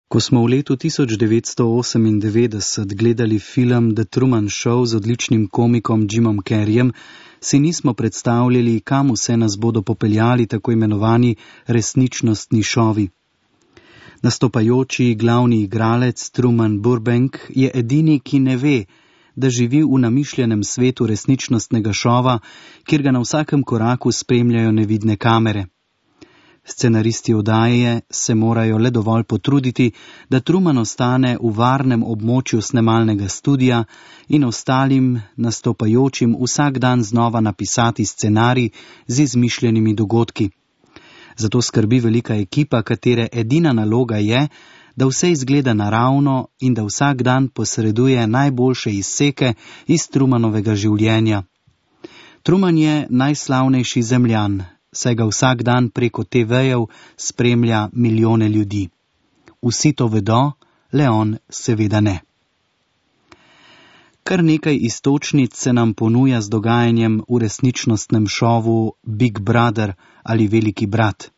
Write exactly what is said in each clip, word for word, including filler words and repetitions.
Ko smo v letu tisoč devetsto osemindevetdeset gledali film The Truman Show z odličnim komikom Jimom Carreyjem, si nismo predstavljali, kam vse nas bodo popeljali tako imenovani resničnostni šovi. Nastopajoči glavni igralec Truman Burbank je edini, ki ne ve, da živi v namišljenem svetu resničnostnega šova, kjer ga na vsakem koraku spremljajo nevidne kamere. Scenaristi oddaje se morajo le dovolj potruditi, da Truman ostane v varnem območju snemalnega studia in ostalim nastopajočim vsak dan znova napisati scenarij z izmišljenimi dogodki. Zato skrbi velika ekipa, katere edina naloga je, da vse izgleda naravno in da vsak dan posreduje najboljše izseke iz Trumanovega življenja. Truman je najslavnejši Zemljan, saj ga vsak dan preko te vejev spremlja milijone ljudi. Vsi to vedo, le on seveda ne. Kar nekaj iztočnic se nam ponuja z dogajanjem v resničnostnem šovu Big Brother ali Veliki brat.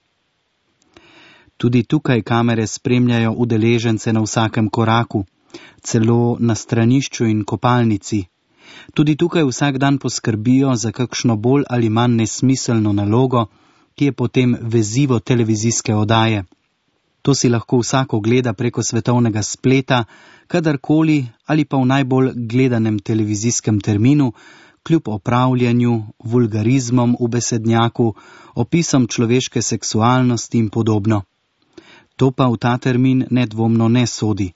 Tudi tukaj kamere spremljajo udeležence na vsakem koraku, celo na stranišču in kopalnici. Tudi tukaj vsak dan poskrbijo za kakšno bolj ali manj nesmiselno nalogo, ki je potem vezivo televizijske oddaje. To si lahko vsak ogleda preko svetovnega spleta, kadarkoli ali pa v najbolj gledanem televizijskem terminu, kljub opravljanju, vulgarizmom v besednjaku, opisom človeške seksualnosti in podobno. To pa v ta termin nedvomno ne sodi.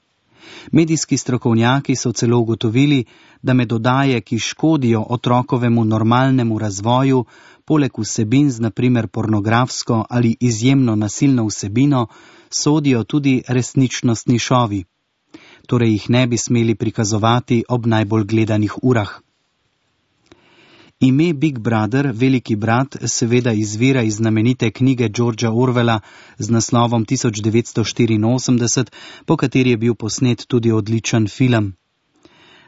Medijski strokovnjaki so celo ugotovili, da med oddaje, ki škodijo otrokovemu normalnemu razvoju, poleg vsebin z naprimer pornografsko ali izjemno nasilno vsebino, sodijo tudi resničnostni šovi. Torej jih ne bi smeli prikazovati ob najbolj gledanih urah. Ime Big Brother, Veliki brat, seveda izvira iz znamenite knjige Georgea Orwella z naslovom tisoč devetsto štiriinosemdeset, po kateri je bil posnet tudi odličen film.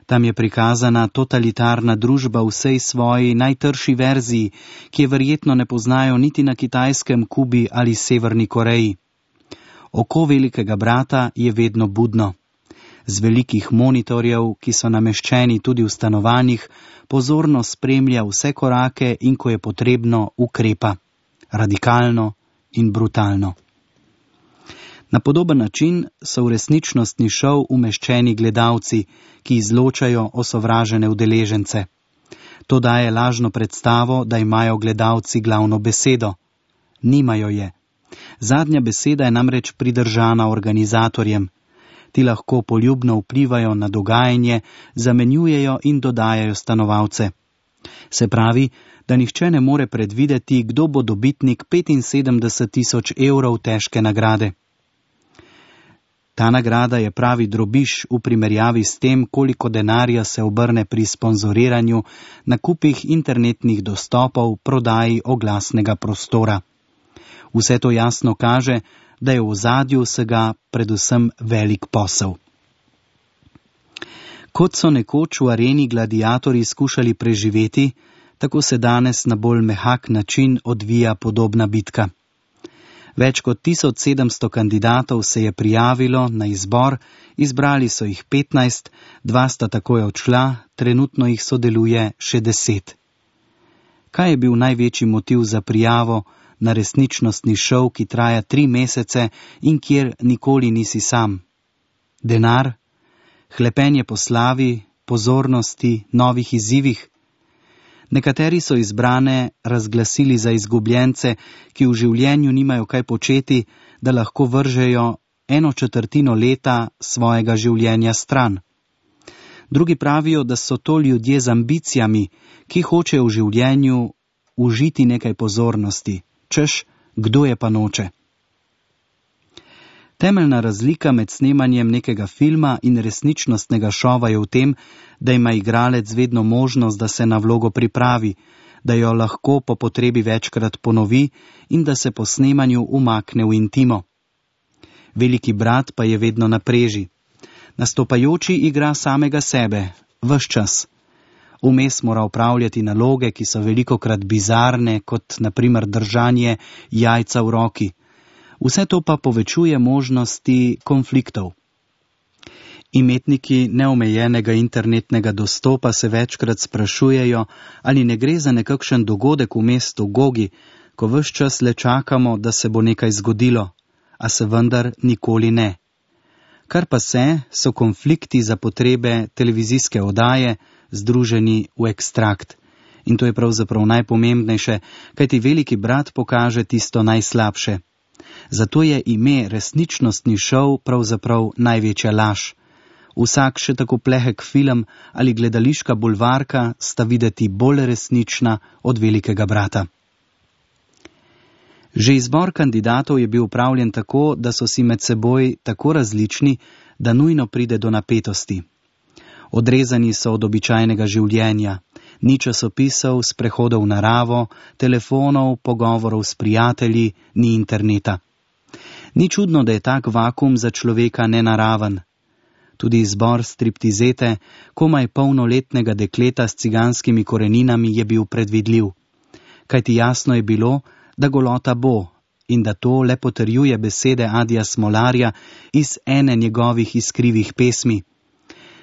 Tam je prikazana totalitarna družba v vsej svoji najtrši verziji, ki je verjetno ne poznajo niti na Kitajskem, Kubi ali Severni Koreji. Oko Velikega brata je vedno budno. Z velikih monitorjev, ki so nameščeni tudi v stanovanjih, pozorno spremlja vse korake in ko je potrebno, ukrepa. Radikalno in brutalno. Na podoben način so v resničnostni šov umeščeni gledalci, ki izločajo osovražene udeležence. To daje lažno predstavo, da imajo gledalci glavno besedo. Nimajo je. Zadnja beseda je namreč pridržana organizatorjem. Ti lahko poljubno vplivajo na dogajanje, zamenjujejo in dodajajo stanovalce. Se pravi, da nihče ne more predvideti, kdo bo dobitnik petinsedemdeset tisoč evrov težke nagrade. Ta nagrada je pravi drobiž v primerjavi s tem, koliko denarja se obrne pri sponzoriranju, nakupih internetnih dostopov, prodaji oglasnega prostora. Vse to jasno kaže, da je v ozadju vsega predvsem velik posel. Kot so nekoč v areni gladiatorji skušali preživeti, tako se danes na bolj mehak način odvija podobna bitka. Več kot tisoč sedemsto kandidatov se je prijavilo na izbor, izbrali so jih petnajst, dva sta takoj odšla, trenutno jih sodeluje še deset. Kaj je bil največji motiv za prijavo na resničnostni šov, ki traja tri mesece in kjer nikoli nisi sam? Denar? Hlepenje po slavi, pozornosti, novih izzivih? Nekateri so izbrane razglasili za izgubljence, ki v življenju nimajo kaj početi, da lahko vržejo eno četrtino leta svojega življenja stran. Drugi pravijo, da so to ljudje z ambicijami, ki hočejo v življenju užiti nekaj pozornosti. Češ, kdo je pa noče? Temeljna razlika med snemanjem nekega filma in resničnostnega šova je v tem, da ima igralec vedno možnost, da se na vlogo pripravi, da jo lahko po potrebi večkrat ponovi in da se po snemanju umakne v intimo. Veliki brat pa je vedno na preži. Nastopajoči igra samega sebe, ves čas. Vmes mora opravljati naloge, ki so velikokrat bizarne, kot na primer držanje jajca v roki. Vse to pa povečuje možnosti konfliktov. Imetniki neomejenega internetnega dostopa se večkrat sprašujejo, ali ne gre za nekakšen dogodek v mestu Gogi, ko ves čas le čakamo, da se bo nekaj zgodilo, a se vendar nikoli ne. Kar pa se, so konflikti za potrebe televizijske oddaje združeni v ekstrakt. In to je pravzaprav najpomembnejše, kajti veliki brat pokaže tisto najslabše. Zato je ime resničnostni šov pravzaprav največja laž. Vsak še tako plehek film ali gledališka bulvarka sta videti bolj resnična od velikega brata. Že izbor kandidatov je bil upravljen tako, da so si med seboj tako različni, da nujno pride do napetosti. Odrezani so od običajnega življenja, ni časopisov, sprehodov v naravo, telefonov, pogovorov s prijatelji, ni interneta. Ni čudno, da je tak vakum za človeka nenaraven. Tudi izbor striptizete, komaj polnoletnega dekleta s ciganskimi koreninami, je bil predvidljiv. Kajti jasno je bilo, da golota bo in da to le potrjuje besede Adija Smolarja iz ene njegovih iskrivih pesmi.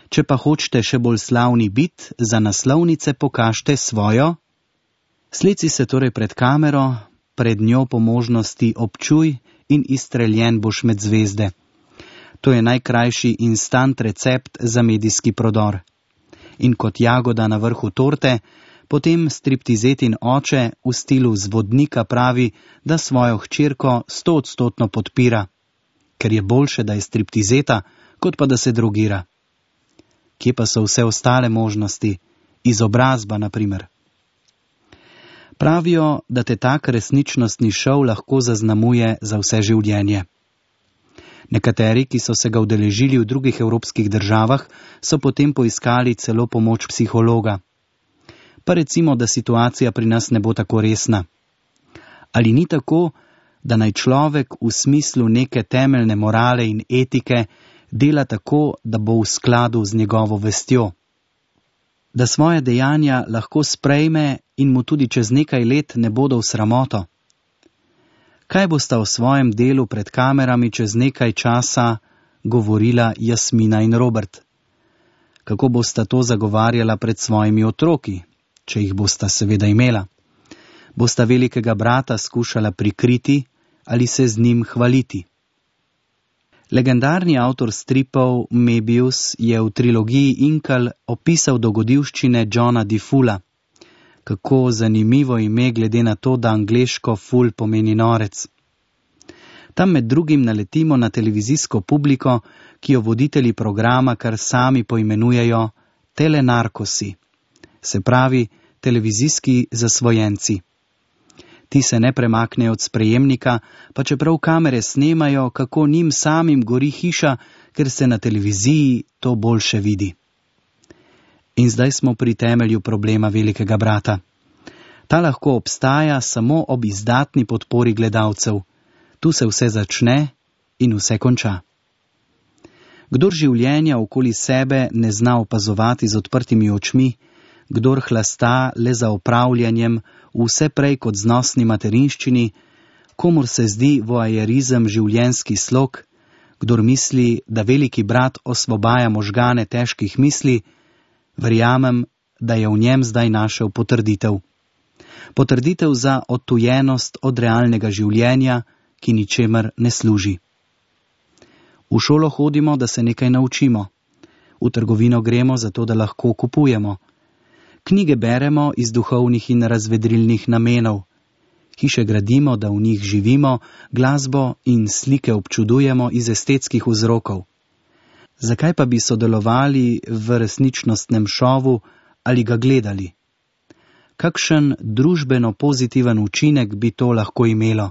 Če pa hočete še bolj slavni bit, za naslovnice pokažte svojo. Slici se torej pred kamero, pred njo po možnosti občuj in izstreljen boš med zvezde. To je najkrajši instant recept za medijski prodor. In kot jagoda na vrhu torte, potem striptizetin oče v stilu zvodnika pravi, da svojo hčerko stoodstotno podpira, ker je boljše, da je striptizeta, kot pa da se drogira. Kje pa so vse ostale možnosti? Izobrazba, na primer. Pravijo, da te tak resničnostni šov lahko zaznamuje za vse življenje. Nekateri, ki so se ga udeležili v drugih evropskih državah, so potem poiskali celo pomoč psihologa. Pa recimo, da situacija pri nas ne bo tako resna. Ali ni tako, da naj človek v smislu neke temeljne morale in etike dela tako, da bo v skladu z njegovo vestjo? Da svoje dejanja lahko sprejme in mu tudi čez nekaj let ne bodo v sramoto? Kaj bosta o svojem delu pred kamerami čez nekaj časa govorila Jasmina in Robert? Kako bosta to zagovarjala pred svojimi otroki, če jih bosta seveda imela? Bosta velikega brata skušala prikriti ali se z njim hvaliti? Legendarni avtor stripov Mebius je v trilogiji Inkal opisal dogodivščine Johna DeFula. Kako zanimivo ime glede na to, da angleško ful pomeni norec. Tam med drugim naletimo na televizijsko publiko, ki jo voditelji programa kar sami poimenujejo telenarkosi, se pravi televizijski zasvojenci. Ti se ne premaknejo od sprejemnika, pa čeprav kamere snemajo, kako njim samim gori hiša, ker se na televiziji to boljše vidi. In zdaj smo pri temelju problema velikega brata. Ta lahko obstaja samo ob izdatni podpori gledalcev. Tu se vse začne in vse konča. Kdor življenja okoli sebe ne zna opazovati z odprtimi očmi, kdor hlasta le za opravljanjem vse prej kot znosni materinščini, komur se zdi voajerizem življenjski slog, kdor misli, da veliki brat osvobaja možgane težkih misli, verjamem, da je v njem zdaj našel potrditev. Potrditev za odtujenost od realnega življenja, ki ničemer ne služi. V šolo hodimo, da se nekaj naučimo. V trgovino gremo zato, da lahko kupujemo. Knjige beremo iz duhovnih in razvedrilnih namenov. Hiše gradimo, da v njih živimo, glasbo in slike občudujemo iz estetskih vzrokov. Zakaj pa bi sodelovali v resničnostnem šovu ali ga gledali? Kakšen družbeno pozitiven učinek bi to lahko imelo?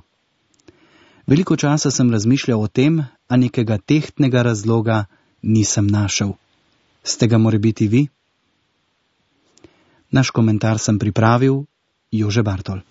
Veliko časa sem razmišljal o tem, a nekega tehtnega razloga nisem našel. Ste ga morebiti vi? Naš komentar sem pripravil Jože Bartol.